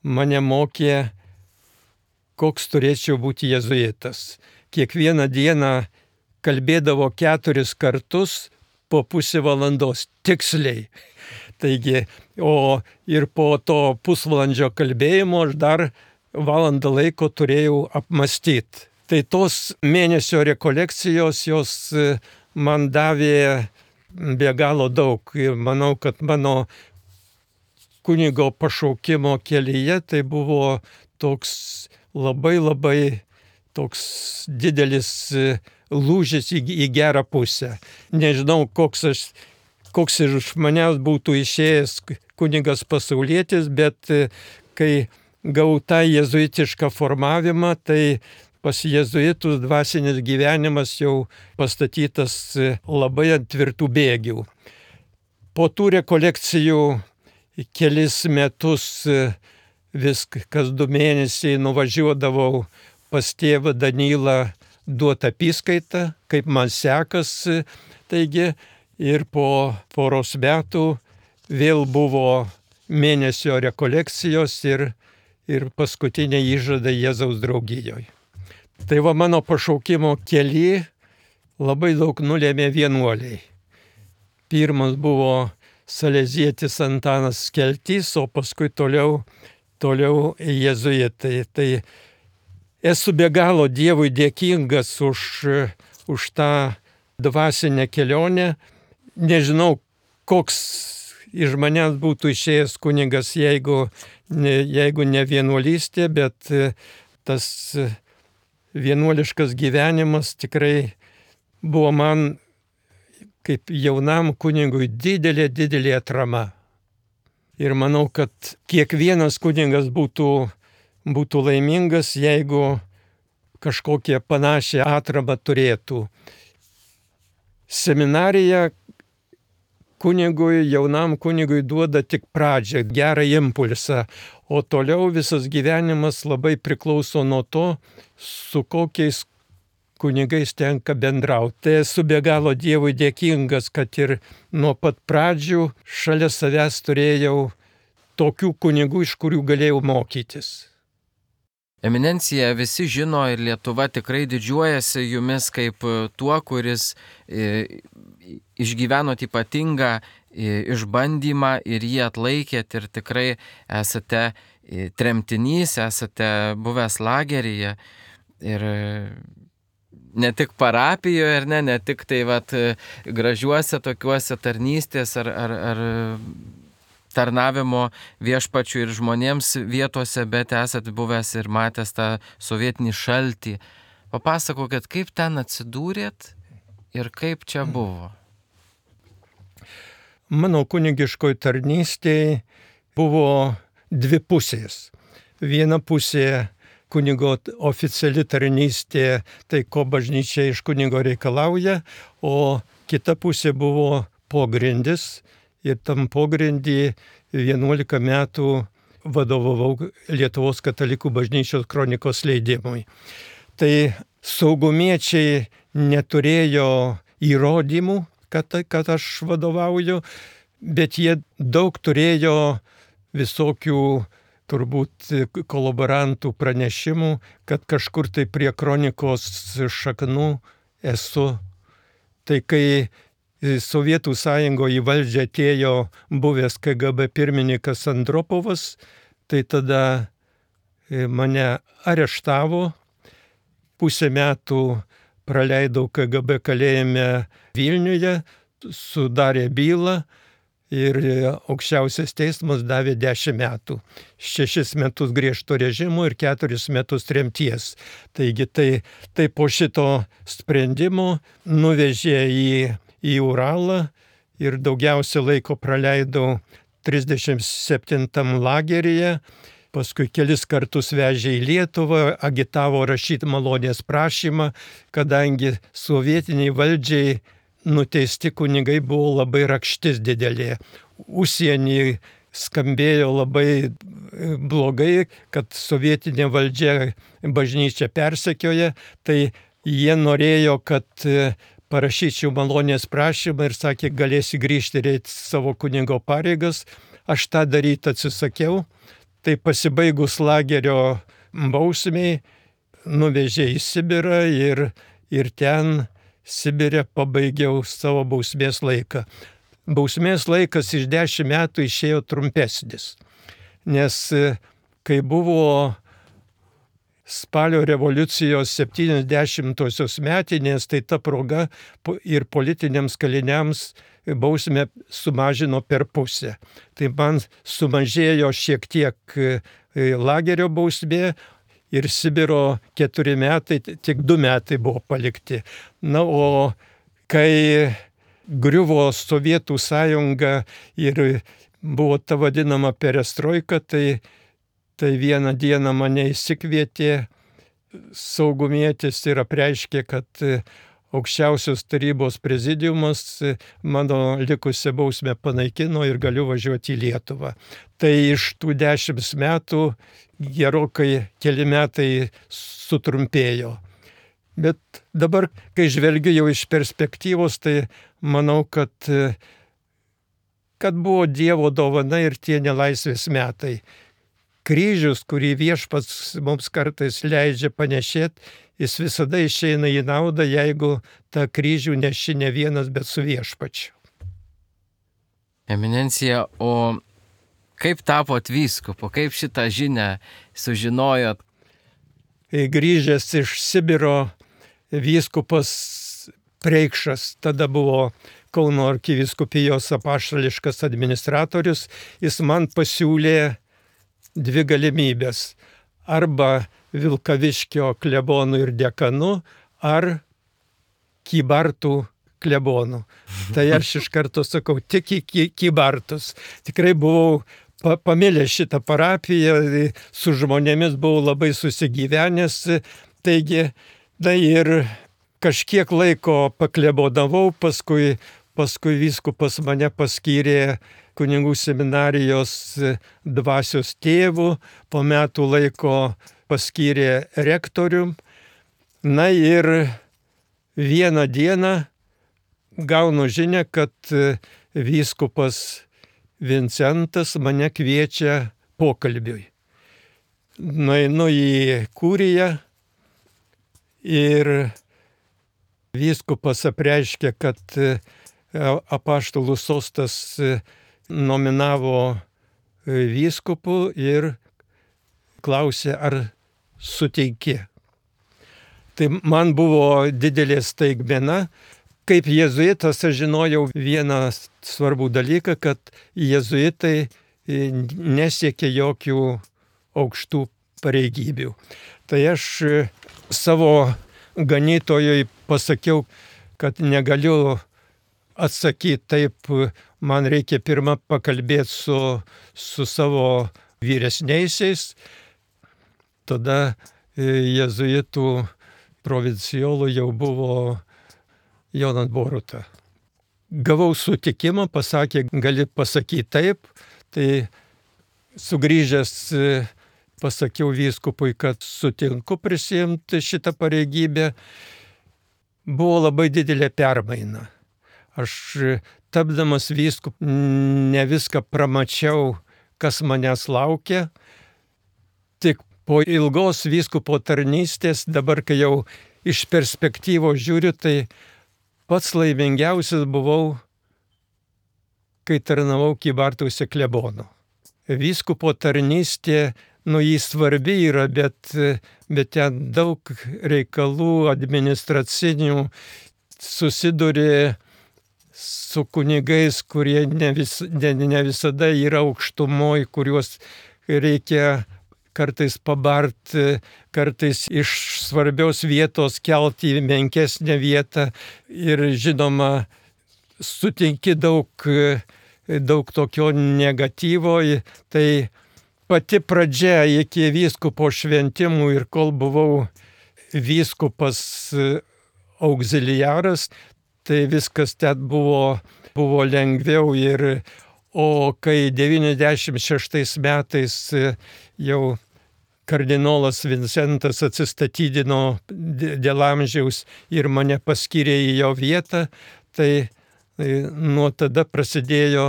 mane mokė, koks turėčiau būti jėzuitas. Kiekvieną dieną kalbėdavo keturis kartus po pusę valandos tiksliai. Taigi, o ir po to pusvalandžio kalbėjimo aš dar valandą laiko turėjau apmastyti. Tai tos mėnesio rekolekcijos jos man davė be galo daug. Ir manau, kad mano kunigo pašaukimo kelyje tai buvo toks labai labai toks didelis lūžis į, į gerą pusę. Nežinau, koks, aš, koks iš manęs būtų išėjęs kunigas pasaulietis, bet kai gavau tą jėzuitišką formavimą, tai pas jėzuitus dvasinis gyvenimas jau pastatytas labai ant tvirtų bėgių. Po tų rekolekcijų kelis metus vis kas du mėnesiai nuvažiuodavau pas tėvą Danylą duot apyskaitą, kaip man sekasi. Taigi ir po poros metų vėl buvo mėnesio rekolekcijos ir, ir paskutinė įžada Jėzaus draugijoje. Tai va mano pašaukimo kely labai daug nulėmė vienuoliai. Pirmas buvo salezietis Antanas Skeltys, o paskui toliau, toliau jėzuitai. Tai esu be galo Dievui dėkingas už, už tą dvasinę kelionę. Nežinau, koks iš manęs būtų išėjęs kunigas, jeigu ne, jeigu ne vienuolystė, bet tas vienuoliškas gyvenimas tikrai buvo man kaip jaunam kunigui didelė, didelė atrama. Ir manau, kad kiekvienas kunigas būtų, būtų laimingas, jeigu kažkokią panašią atramą turėtų. Seminarija kunigui, jaunam kunigui duoda tik pradžią, gerą impulsą, o toliau visas gyvenimas labai priklauso nuo to, su kokiais kunigais tenka bendrauti. Tai esu be galo Dievui dėkingas, kad ir nuo pat pradžių šalia savęs turėjau tokių kunigų, iš kurių galėjau mokytis. Eminencija, visi žino ir Lietuva tikrai didžiuojasi jumis kaip tuo, kuris išgyvenot ypatingą išbandymą ir jį atlaikėt ir tikrai esate tremtinys, esate buvęs lageryje ir ne tik parapijoje, ar ne, ne tik tai vat, gražiuose tokiuose tarnystės ar, ar, ar tarnavimo viešpačių ir žmonėms vietose, bet esat buvęs ir matęs tą sovietinį šaltį. Papasakokit, kaip ten atsidūrėt ir kaip čia buvo? Mano kunigiškoj tarnystėje buvo dvi pusės. Viena pusė kunigo oficiali tarnystė, tai ko bažnyčia iš kunigo reikalauja, o kita pusė buvo pogrindis. Ir tam pogrindį vienuolika metų vadovavau Lietuvos katalikų bažnyčios kronikos leidimui. Tai saugumiečiai neturėjo įrodymų, kad, kad aš vadovauju, bet jie daug turėjo visokių turbūt kolaborantų pranešimų, kad kažkur tai prie kronikos šaknų esu. Tai kai Sovietų sąjungoje į valdžią atėjo buvęs K G B pirmininkas Andropovas, tai tada mane areštavo, pusę metų praleidau K G B kalėjime Vilniuje, sudarė bylą ir aukščiausias teismas davė dešimt metų. Šešis metus griežto režimo ir keturis metus tremties. Taigi tai, tai po šito sprendimo nuvežė į į Uralą ir daugiausia laiko praleidau trisdešimt septintam lageryje, paskui kelis kartus vežė į Lietuvą, agitavo rašyti malonės prašymą, kadangi sovietiniai valdžiai nuteisti kunigai buvo labai rakštis didelė. Užsienį skambėjo labai blogai, kad sovietinė valdžia bažnyčią persekioja, tai jie norėjo, kad parašyčiau malonės prašymą ir sakė, galėsi grįžti ir eiti savo kunigo pareigas. Aš tą daryti atsisakiau. Tai pasibaigus lagerio bausmiai nuvežė į Sibirą ir, ir ten Sibire pabaigiau savo bausmės laiką. bausmės laikas iš dešimt metų išėjo trumpesnis. Nes kai buvo spalio revoliucijos septyniasdešimtosios metinės, tai ta proga ir politiniams kaliniams bausmę sumažino per pusę. Tai man sumažėjo šiek tiek lagerio bausmė ir Sibiro keturi metai, tik du metai buvo palikti. Na, o kai griuvo Sovietų sąjunga ir buvo ta vadinama perestroika, tai Tai vieną dieną mane įsikvietė saugumietis ir apreiškė, kad aukščiausios tarybos prezidiumas mano likusią bausmę panaikino ir galiu važiuoti į Lietuvą. Tai iš tų dešimt metų gerokai keli metai sutrumpėjo. Bet dabar, kai žvelgiu jau iš perspektyvos, tai manau, kad, kad buvo Dievo dovana ir tie nelaisvės metai. Kryžius, kurį viešpats mums kartais leidžia panešėti, jis visada išeina į naudą, jeigu tą kryžių neši ne vienas, bet su viešpačiu. Eminencija, o kaip tapot vyskupu, kaip šitą žinią sužinojot? Grįžęs iš Sibiro vyskupas Preikšas, tada buvo Kauno arkivyskupijos apaštališkas administratorius, jis man pasiūlė dvi galimybės. Arba Vilkaviškio klebonų ir dekanu, ar Kybartų klebonų. Tai aš iš karto sakau, tik į Kybartus. Tikrai buvau pamilęs šitą parapiją, su žmonėmis buvau labai susigyvenęs. Taigi, tai ir kažkiek laiko paklebodavau, paskui, paskui vyskupas mane paskyrė kunigų seminarijos dvasios tėvų, po metų laiko paskyrė rektorium. Na ir vieną dieną gaunu žinią, kad vyskupas Vincentas mane kviečia pokalbiui. Nueinu į kuriją ir vyskupas apreiškė, kad apaštalų sostas nominavo vyskupų ir klausė, ar suteiki. Tai man buvo didelė staigmena. Kaip jėzuitas aš žinojau vieną svarbų dalyką, kad jėzuitai nesiekia jokių aukštų pareigybių. Tai aš savo ganytojui pasakiau, kad negaliu atsakyti taip, man reikia pirmą pakalbėti su, su savo vyresniaisiais. Tada jėzuitų provincijolų jau buvo Jonas Boruta. Gavau sutikimą, pasakė, gali pasakyti taip, tai sugrįžęs pasakiau vyskupui, kad sutinku prisiimti šitą pareigybę. Buvo labai didelė permaina. Aš tapdamas vyskupu ne viską pramačiau, kas manęs laukia. Tik po ilgos vyskupo tarnystės, dabar kai jau iš perspektyvos žiūriu, tai pats laimingiausias buvau, kai tarnavau Kybartuose klebonu. Vyskupo tarnystė, nu jį svarbi yra, bet, bet ten daug reikalų administracinių, susiduri su kunigais, kurie ne, vis, ne, ne visada yra aukštumoj, kuriuos reikia kartais pabart, kartais iš svarbios vietos kelti į menkesnę vietą. Ir žinoma, sutinki daug, daug tokio negatyvo. Tai pati pradžia iki vyskupo šventimų ir kol buvau vyskupas auxiliaras, tai viskas ten buvo, buvo lengviau. Ir, o kai devyniasdešimt šeštais metais jau kardinolas Vincentas atsistatydino dėl amžiaus ir mane paskyrė į jo vietą, tai nuo tada prasidėjo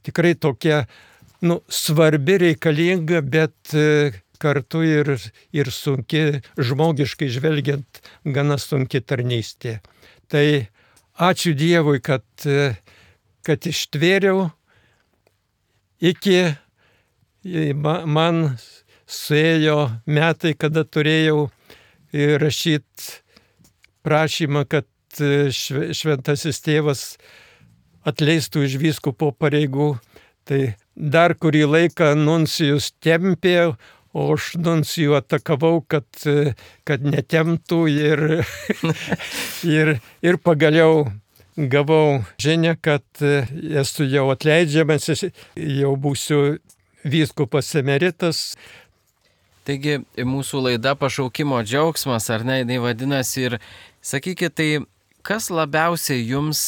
tikrai tokia nu, svarbi, reikalinga, bet kartu ir, ir sunki, žmogiškai žvelgiant, gana sunki tarnystė. Tai ačiū Dievui, kad, kad ištvėriau iki man suėjo metai, kada turėjau rašyti prašymą, kad šventasis tėvas atleistų iš vyskupo pareigų. Tai dar kurį laiką nuncijus tempė, o aš nuncijų atakavau, kad, kad netemptų ir, ir, ir pagaliau gavau žinią, kad esu jau atleidžiamas, jau būsiu vyskupas emeritas. Taigi mūsų laida Pašaukimo džiaugsmas, ar ne, jinai vadinasi, ir sakykit, tai kas labiausiai jums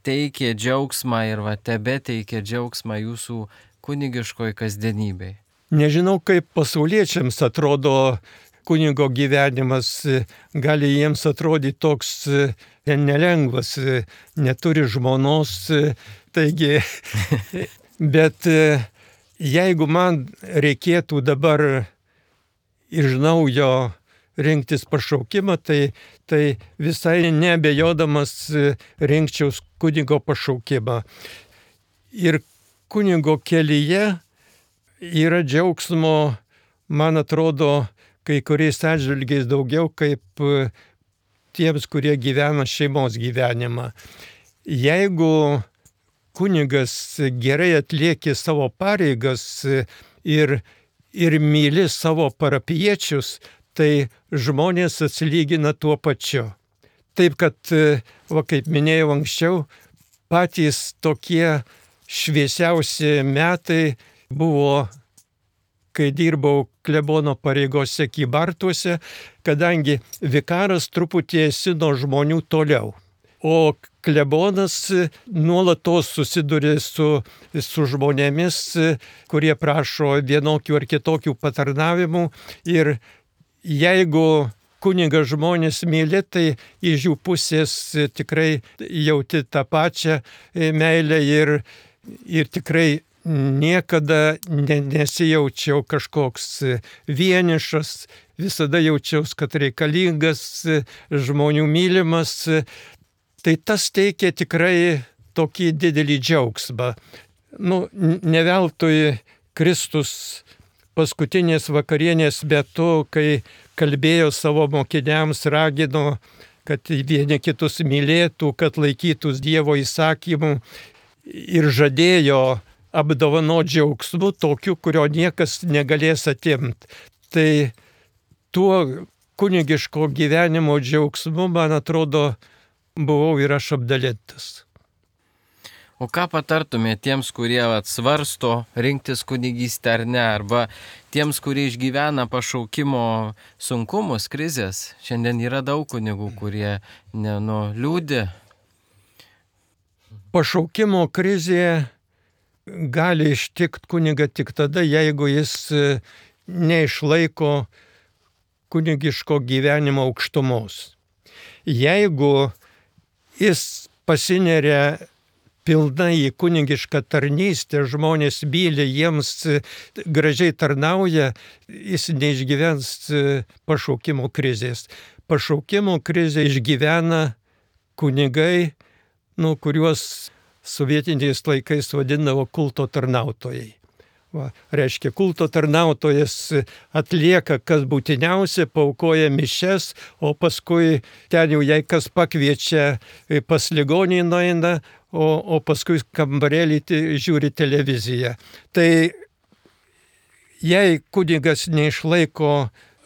teikė džiaugsmą ir va tebe teikė džiaugsmą jūsų kunigiškoj kasdienybei? Nežinau, kaip pasauliečiams atrodo kunigo gyvenimas, gali jiems atrodyti toks nelengvas, neturi žmonos, taigi, bet jeigu man reikėtų dabar iš naujo rinktis pašaukimą, tai, tai visai neabejodamas rinkčiaus kunigo pašaukimą. Ir kunigo kelyje yra džiaugsmo, man atrodo, kai kuriais atžvilgiais daugiau kaip tiems, kurie gyvena šeimos gyvenimą. Jeigu kunigas gerai atlieki savo pareigas ir, ir myli savo parapiečius, tai žmonės atsilygina tuo pačiu. Taip, kad, va, kaip minėjau anksčiau, patys tokie šviesiausi metai buvo, kai dirbau klebono pareigose Kybartuose, kadangi vikaras truputį esi nuo žmonių toliau. O klebonas nuolatos susiduria su, su žmonėmis, kurie prašo vienokių ar kitokių patarnavimų. Ir jeigu kunigas žmonės myli, tai iš jų pusės tikrai jauti tą pačią meilę ir, ir tikrai niekada nesijaučiau kažkoks vienišas, visada jaučiausi, kad reikalingas, žmonių mylimas. Tai tas teikia tikrai tokį didelį džiaugsmą. Nu, ne veltui Kristus paskutinės vakarienės metu, kai kalbėjo savo mokiniams, ragino, kad vieni kitus mylėtų, kad laikytųs Dievo įsakymų ir žadėjo apdovanoti džiaugsmu tokiu, kurio niekas negalės atimti. Tai tuo kunigiško gyvenimo džiaugsmu, man atrodo, buvau ir aš apdalintas. O ką patartumėte tiems, kurie svarsto rinktis kunigystę ar ne, arba tiems, kurie išgyvena pašaukimo sunkumus, krizės? Šiandien yra daug kunigų, kurie ne, nu, liūdi. Pašaukimo krizė gali ištikti kunigą tik tada, jeigu jis neišlaiko kunigiško gyvenimo aukštumos. Jeigu jis pasineria pilnai į kunigišką tarnystę, žmonės myli, jiems gražiai tarnauja, jis neišgyvens pašaukimo krizės. Pašaukimo krizę išgyvena kunigai, nu, kuriuos sovietiniais laikais vadindavo kulto tarnautojai. Va, reiškia, kulto tarnautojas atlieka, kas būtiniausia, paaukoja mišias, o paskui ten jau jei kas pakviečia, pas ligonį nueina, o, o paskui kambarėlį žiūri televiziją. Tai jei kunigas neišlaiko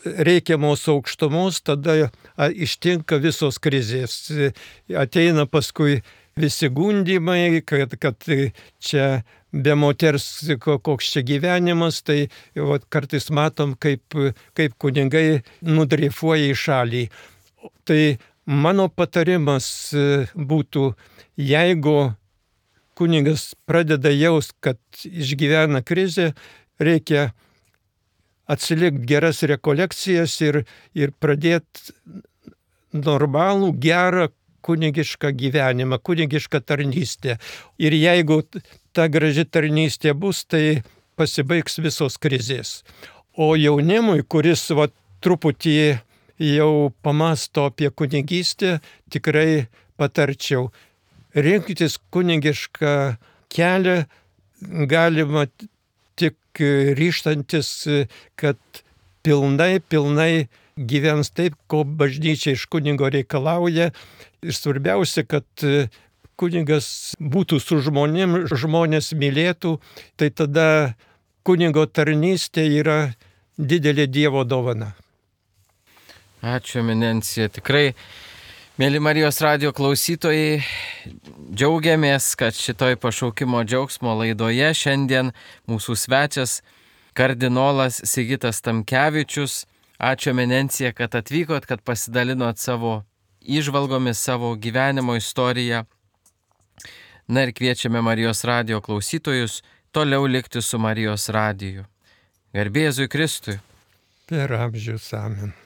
reikiamos aukštumos, tada ištinka visos krizės. Ateina paskui visi gundymai, kad, kad čia be moters koks čia gyvenimas, tai va, kartais matom, kaip, kaip kunigai nudreifuoja į šalį. Tai mano patarimas būtų, jeigu kunigas pradeda jaust, kad išgyvena krizę, reikia atsilikti geras rekolekcijas ir, ir pradėti normalų, gerą kunigišką gyvenimą, kunigišką tarnystę. Ir jeigu ta graži tarnystė bus, tai pasibaigs visos krizės. O jaunimui, kuris va, truputį jau pamasto apie kunigystę, tikrai patarčiau. rinktis kunigišką kelią galima tik ryžtantis, kad pilnai, pilnai gyvens taip, ko bažnyčia iš kunigo reikalauja. Ir svarbiausia, kad kunigas būtų su žmonėm, žmonės mylėtų, tai tada kunigo tarnystė yra didelė Dievo dovana. Ačiū, eminencija. Tikrai, mėly Marijos radijo klausytojai, džiaugiamės, kad šitoj pašaukimo džiaugsmo laidoje šiandien mūsų svečias kardinolas Sigitas Tamkevičius. Ačiū, eminencija, kad atvykot, kad pasidalinot savo įžvalgomis, savo gyvenimo istoriją. Na ir kviečiame Marijos radijo klausytojus toliau likti su Marijos radiju. Garbė Jėzui Kristui. Per amžius amen.